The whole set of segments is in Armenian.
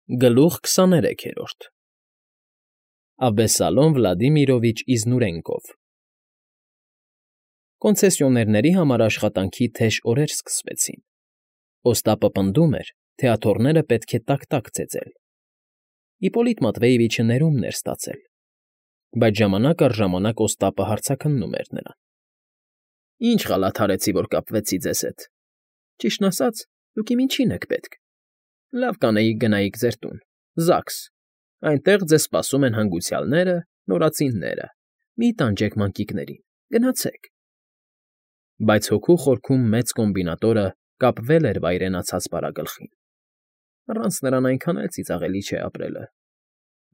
Գլուխ 23 Աբեսալոմ Վլադիմիրովիչ Իզնուրենկով Կոնցեսիոներների համար աշխատանքի թեժ օրեր սկսվեցին։ Օստապը պնդում էր, թե աթոռները պետք է տաք-տաք ծեծել։ Իպոլիտ Մատվեևիչը ներումն էր ստացել, բայց ժամանակ առ ժամանակ Օստապը հարցաքննում էր նրան. Ինչ խալաթ արեցի, որ կապվեցի ձեզ հետ։ Ճիշտն ասած, դուք իմ ինչին եք պետք։ Լավ կանեիք գնայիք ձեր տուն, Զաքս, այնտեղ ձեզ սպասում են հանգուցյալները, նորածինները, մի տանջեք մանկիկներին, գնացեք։ Բայց հոգու խորքում մեծ կոմբինատորը կապվել էր վայրենացած բարագլխին։ Առանց նրան այնքան էլ ծիծաղելի չէ ապրելը,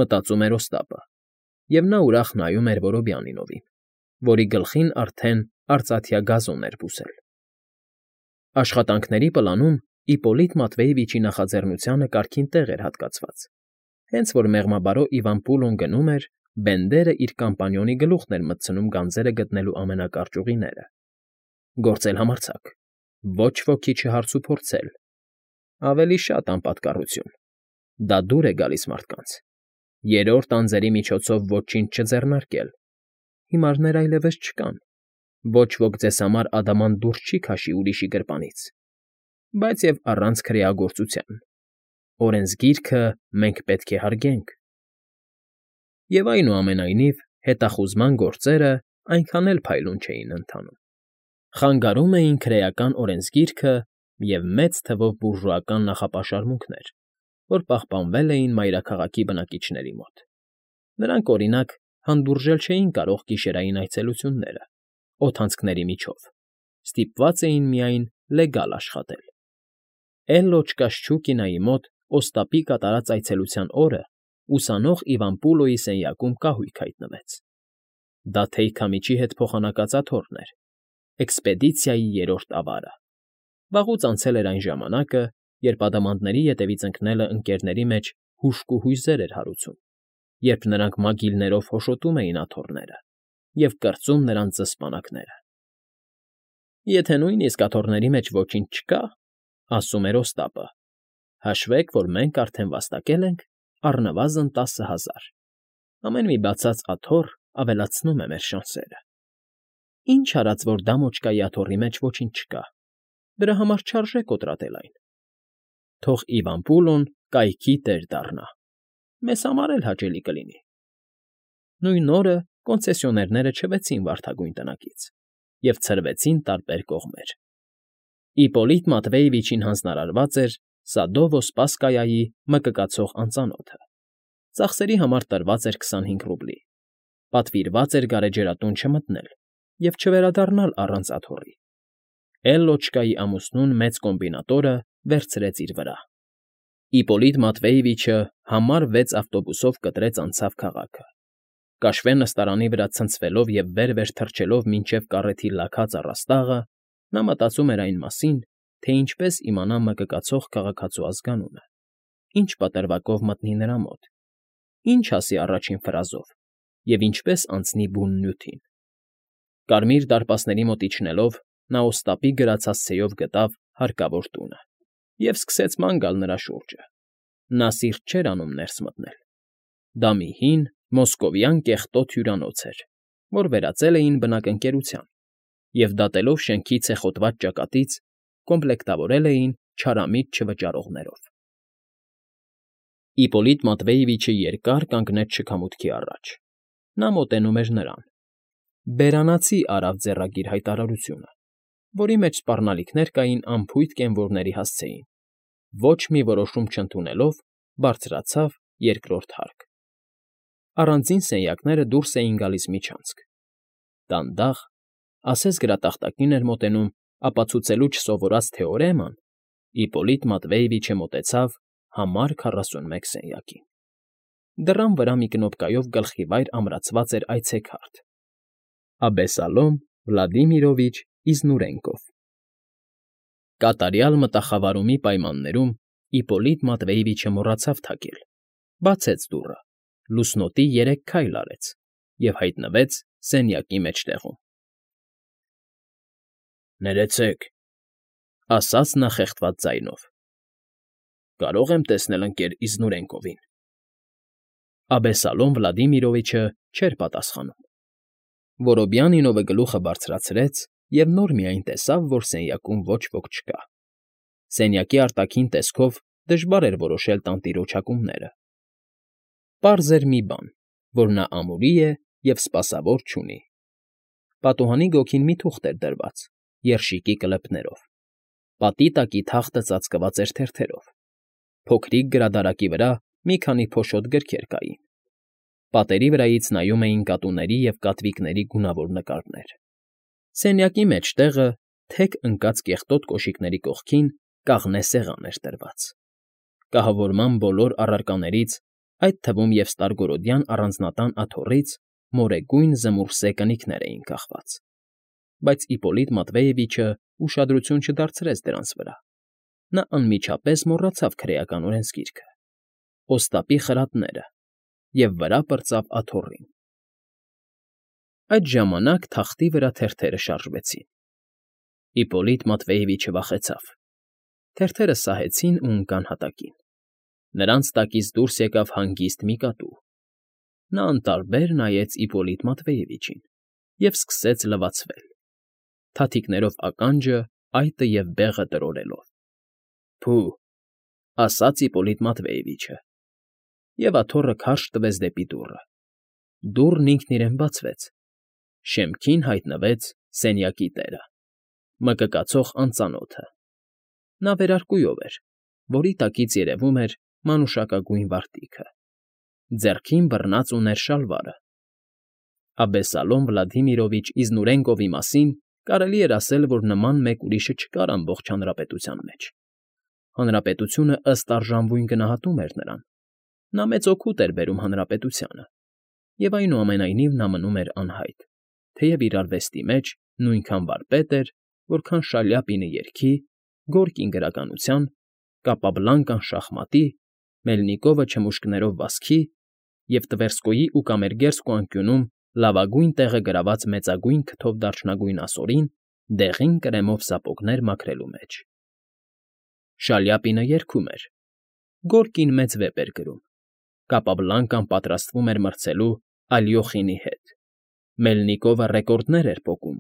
մտածում էր Օստապը, և նա ուրախ նայում էր Որոբյանինովին, որի գլխին արդեն արծաթյա գազոն էր բուսել։ Աշխատանքների պլանում Իպոլիտ Մատվեևիչի նախաձեռնությանը կարգին տեղ էր հատկացված, հենց որ մեղմաբարո Իվան Պուլոն գնում էր, Բենդերը իր կամպանիոնի գլուխն էր մտցնում գանձերը գտնելու ամենակարճ ուղիները։ Գործել համարձակ, ոչ ոքի չհարցուփորձել, ավելի շատ անպատկառություն, դա դուր է գալիս մարդկանց, երրորդ անձերի միջոցով ոչինչ չձեռնարկել, հիմարներ այլևս չկան, ոչ ոք ձեզ համար ադամանդ դուրս չի քաշի ուրիշի գրպանից, բայց և առանց քրեագործության, օրենսգիրքը մենք պետք է հարգենք։ Եվ այնուամենայնիվ հետախուզման գործերը այնքան էլ փայլուն չէին ընթանում։ Խանգարում էին քրեական օրենսգիրքը և մեծ թվով բուրժուական նախապաշարմունքներ, որ պահպանվել էին մայրաքաղաքի բնակիչների մոտ։ Նրանք, օրինակ, հանդուրժել չէին կարող գիշերային այցելությունները, օդանցքների միջով, ստիպված էին միայն լեգալ աշխատել։ Էլլո Չկաշչուկինայի մոտ Օստապի կատարած այցելության օրը ուսանող Իվան Պուլոյի սենյակում կահույք հայտնվեց։ Դա թեյքամիջի հետ փոխանակած աթոռն էր, էքսպեդիցիայի երրորդ ավարը։ Վաղուց անցել էր այն ժամանակը, երբ ադամանդների ետևից ընկնելը ընկերների մեջ հուժկ ու հույզեր էր հարուցում, երբ նրանք մագիլներով հոշոտում էին աթոռները և կրծում նրանց զսպանակները։ Եթե նույնիսկ աթոռների մեջ ոչինչ չկա, ասում էր Օստապը, հաշվեք, որ մենք արդեն վաստակել ենք առնվազն 10,000։ Ամեն մի բացած աթոռ ավելացնում է մեր շանսերը։ Ինչ արած, որ դամոճկայի աթոռի մեջ ոչինչ չկա, դրա համար չարժե կոտրատել այն։ Թող Իվան Պուլոն կայքի տեր դառնա, մեզ համար էլ հաճելի կլինի։ Նույն օրը կոնցեսիոներները չվեցին վարդագույն տնակից և ցրվեցին տարբեր կողմեր։ Իպոլիտ Մատվեևիչին հանձնարարված էր Սադովո֊Սպասկայայի մկկացող անծանոթը։ Ծախսերի համար տրված էր 25 ռուբլի։ Պատվիրված էր գարեջրատուն չմտնել և չվերադառնալ առանց աթոռի։ Էլլոչկայի ամուսնուն մեծ կոմբինատորը վերցրեց իր վրա։ Իպոլիտ Մատվեևիչը համար 6 ավտոբուսով կտրեց անցավ քաղաքը։ Կաշվե նստարանի վրա ցնցվելով և վեր-վեր թռչելով մինչև կառեթի լաքած առաստաղը, նա մտածում էր այն մասին, թե ինչպես իմանա մկկացող քաղաքացու ազգանունը, ինչ պատրվակով մտնի նրա մոտ, ինչ ասի առաջին ֆրազով և ինչպես անցնի բուն նյութին։ Կարմիր դարպասների մոտ իջնելով՝ նա Օստապի գրացած ցեյով գտավ հարկավոր տունը և սկսեց ման գալ նրա շուրջը։ Նա սիրտ չէր անում ներս մտնել։ Դա մի հին, մոսկովյան կեղտոտ հյուրանոց էր, որ վերածել էին բնակընկերության, և դատելով շենքի ցեխոտված ճակատից, կոմպլեկտավորել էին չարամիտ չվճարողներով։ Իպոլիտ Մատվեևիչը երկար կանգնեց շքամուտքի առաջ։ Նա մոտենում էր նրան։ Բերանացի արավ ձեռագիր հայտարարությունը, որի մեջ սպառնալիքներ կային անփույթ կենվորների հասցեին։ Ոչ մի որոշում չընդունելով, բարձրացավ երկրորդ հարկ։ Առանձին սենյակները դուրս էին գալիս միջանցք։ Դանդաղ, ասես գրատախտակին էր մոտենում ապացուցելու չսովորած թեորեման, Իպոլիտ Մատվեևիչը մոտեցավ համար 41 սենյակին։ Դռան վրա մի կնոպկայով գլխիվայր ամրացված էր այցեքարտ. Աբեսալոմ Վլադիմիրովիչ Իզնուրենկով։ Կատարյալ մտախավարումի պայմաններում Իպոլիտ Մատվեևիչը մոռացավ թակել, բացեց դուռը, լուսնոտի 3 քայլ արեց և հայտնվեց սենյակի մեջտեղում։ Ներեցեք, ասաց նա խեղդված ձայնով։ Կարող եմ տեսնել ընկեր Իզնուրենկովին։ Աբեսալոմ Վլադիմիրովիչը չէր պատասխանում։ Որոբյանինովը գլուխը բարձրացրեց և նոր միայն տեսավ, որ սենյակում ոչ ոք չկա։ Սենյակի արտաքին տեսքով դժվար էր որոշել տանտիրոջ պարզ էր մի բան, որ նա ամուրի է և սպասավոր չունի։ Պատուհանի գոգին մի թուղթ էր դրված, երշիկի կլեպներով։ Պատի տակի թախտը ծածկված էր թերթերով։ Փոքրիկ գրադարակի վրա մի քանի փոշոտ գրքեր կային։ Պատերի վրայից նայում էին կատուների և կատվիկների գունավոր նկարներ։ Սենյակի մեջտեղը, թեք ընկած կեղտոտ կոշիկների կողքին, կաղնե սեղան էր դրված։ Կահավորման բոլոր առարկաներից, այդ թվում և ստարգորոդյան առանձնատան աթոռից, մորեգույն զմուռսե կնիկներ էին կախված։ Բայց Իպոլիտ Մատվեևիչը ուշադրություն չդարձրեց դրանց վրա։ Նա անմիջապես մոռացավ քրեական օրենսգիրքը, օստապի խրատները և վրա պրծավ աթոռին։ Այդ ժամանակ թախտի վրա թերթերը շարժվեցին։ Իպոլիտ Մատվեևիչը վախեցավ։ Թերթերը սահեցին ու ընկան հատակին։ Նրանց տակից դուրս եկավ հանգիստ մի կատու։ Նա անտարբեր նայեց Իպոլիտ Մատվեևիչին և սկսեց լվացվել, թաթիկներով ականջը, այտը և բեղը տրորելով։ Փո՜ւ, ասաց Իպոլիտ Մատվեևիչը, և աթոռը քարշ տվեց դեպի դուռը։ Դուռն ինքն իրեն բացվեց։ Շեմքին հայտնվեց սենյակի տերը, մկկացող անծանոթը։ Նա վերարկուով էր, որի տակից երևում էր մանուշակագույն վարտիքը։ Ձեռքին բռնած ուներ շալվարը։ Աբեսալոմ Վլադիմիրովիչ Իզնուրենկովի մասին կարելի էր ասել, որ նման մեկ ուրիշը չկար ամբողջ հանրապետության մեջ։ Հանրապետությունը ըստ արժանվույն գնահատում էր նրան։ Նա մեծ օգուտ էր բերում հանրապետությանը, և այնուամենայնիվ նա մնում էր անհայտ, թեև իր արվեստի մեջ նույնքան վարպետ էր, որքան Շալյապինը երգի, Գորկին գրականության, Կապաբլանկան շախմատի, Մելնիկովը չմուշկներով վազքի և Տվերսկոյի ու Կամերգերսկու անկյունում լավագույն տեղը գրաված մեծագույն քթով դարչնագույն ասորին դեղին կրեմով սապոգներ մաքրելու մեջ։ Շալյապինը երգում էր։ Գորկին մեծ վեպ էր գրում։ Կապաբլանկան պատրաստվում էր մրցելու Ալյոխինի հետ։ Մելնիկովը ռեկորդներ էր փոկում։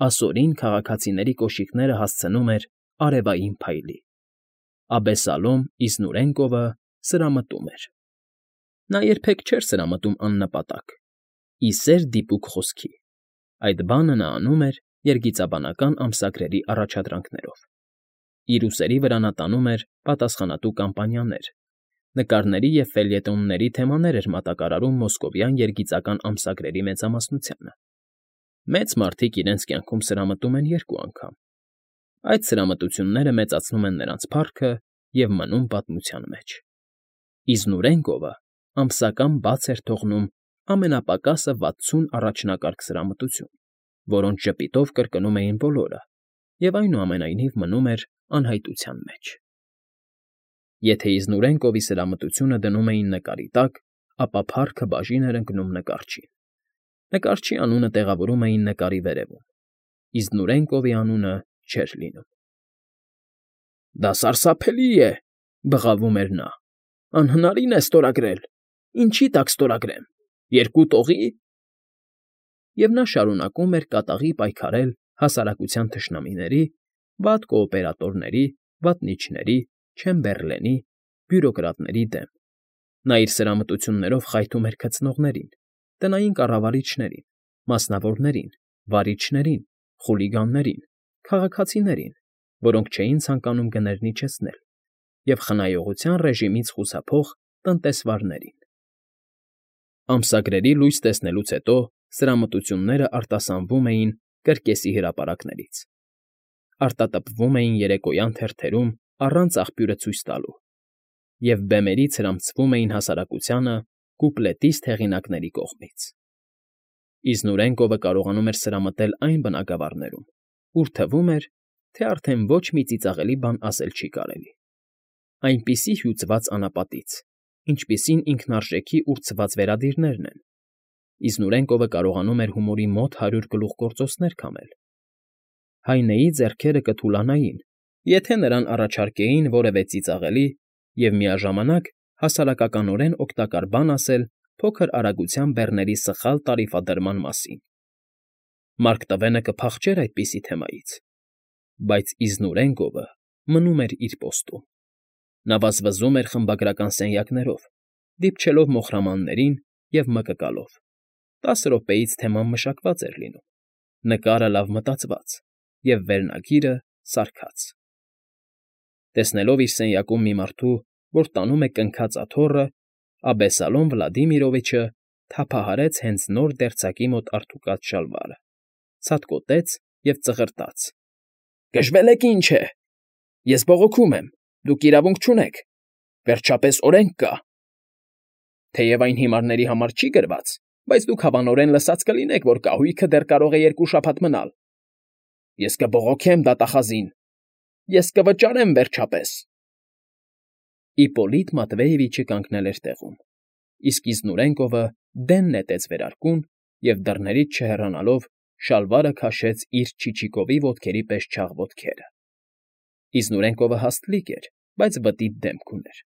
Ասորին քաղաքացիների կոշիկները հասցնում էր արևային փայլի։ Աբեսալոմ Իզնուրենկովը սրամտում էր։ Նա երբեք չէր սրամտում աննպատակ, ի սեր դիպուկ խոսքի։ Այդ բանը նա անում էր երգիծաբանական ամսագրերի առաջադրանքներով։ Իր ուսերի վրա նա տանում էր պատասխանատու կամպանիաներ, նկարների և ֆելյետոնների թեմաներ էր մատակարարում մոսկովյան երգիծական ամսագրերի մեծամասնությանը։ Մեծ մարդիկ իրենց կյանքում սրամտում են երկու անգամ։ Այդ սրամտությունները մեծացնում են նրանց փառքը և մնում պատմության մեջ։ Իզնուրենկովը ամսական բաց էր թողնում ամենապակասը 60 առաջնակարգ սրամտություն, որոնց ժպիտով կրկնում էին բոլորը, և այնուամենայնիվ մնում էր անհայտության մեջ։ Եթե Իզնուրենկովի սրամտությունը դնում էին նկարի տակ, ապա փառքը բաժին էր ընկնում նկարչին։ Նկարչի անունը տեղավորում էին նկարի վերևում։ Իզնուրենկովի անունը չէր լինում։ Դա սարսափելի է,֊ բղավում էր նա։ Անհնարին է ստորագրել։ Ինչի՞ տակ ստորագրեմ։ 2 տողի՞։ Եվ նա շարունակում էր կատաղի պայքարել հասարակության թշնամիների, վատ կոոպերատորների, վատնիչների, Չեմբերլենի, բյուրոկրատների դեմ։ Նա իր սրամտություններով խայթում էր քծնողներին, տնային կառավարիչներին, մասնավորներին, վարիչներին, խուլիգաններին, քաղաքացիներին, որոնք չէին ցանկանում գներն իջեցնել, և խնայողության ռեժիմից խուսափող տնտեսվարներին։ Ամսագրերի լույս տեսնելուց հետո սրամտությունները արտասանվում էին կրկեսի հրապարակներից, արտատպվում էին երեկոյան թերթերում առանց աղբյուրը ցույց տալու և բեմերից հրամցվում էին հասարակությանը կուպլետիստ հեղինակների կողմից։ Իզնուրենկովը կարողանում էր սրամտել այն բնագավառներում, ուր թվում էր, թե արդեն ոչ մի ծիծաղելի բան ասել չի կարելի։ Այնպիսի հյուծված անապատից, ինչպիսին ինքնարժեքի ուրցված վերադիրներն են, Իզնուրենկովը կարողանում էր հումորի մոտ 100 գլուխգործոցներ քամել։ Հայնեի ձեռքերը կթուլանային, եթե նրան առաջարկեին որևէ ծիծաղելի և միաժամանակ հասարակականորեն օգտակար բան ասել փոքր արագության բեռների սխալ տարիֆադրման մասին։ Մարկ Տվենը կփախչեր այդպիսի թեմայից, բայց Իզնուրենկովը մնում էր իր պոստում։ Նա վազվզում էր խմբագրական սենյակներով, դիպչելով մոխրամաններին և մկկալով։ 10 րոպեից թեման մշակված էր լինում, նկարը լավ մտածված և վերնագիրը սարքած։ Տեսնելով իր սենյակում մի մարդու, որ տանում է կնքած աթոռը, Աբեսալոմ Վլադիմիրովիչը թափահարեց հենց նոր դերձակի մոտ արթուկած շալվարը, ցատկոտեց և ծղրտաց. ֊ Գժվել եք, ինչ է… Ես բողոքում եմ, դուք իրավունք չունեք… Վերջապես օրենք կա… Թեև այն հիմարների համար չի գրված, բայց դուք հավանորեն լսած կլինեք, որ կահույքը դեռ կարող է 2 շաբաթ մնալ… Ես կբողոքեմ դատախազին… Ես կվճարեմ, վերջապես… Իպպոլիտ Մատվեևիչը կանգնել էր տեղում, իսկ Իզնուրենկովը դեն նետեց վերարկուն և, դռներից չհեռանալով, շալվարը քաշեց իր չիչիկովի ոտքերի պես չաղ ոտքերը։ Իզնուրենկովը հաստլիկ էր, բայց բտիտ դեմք ուներ։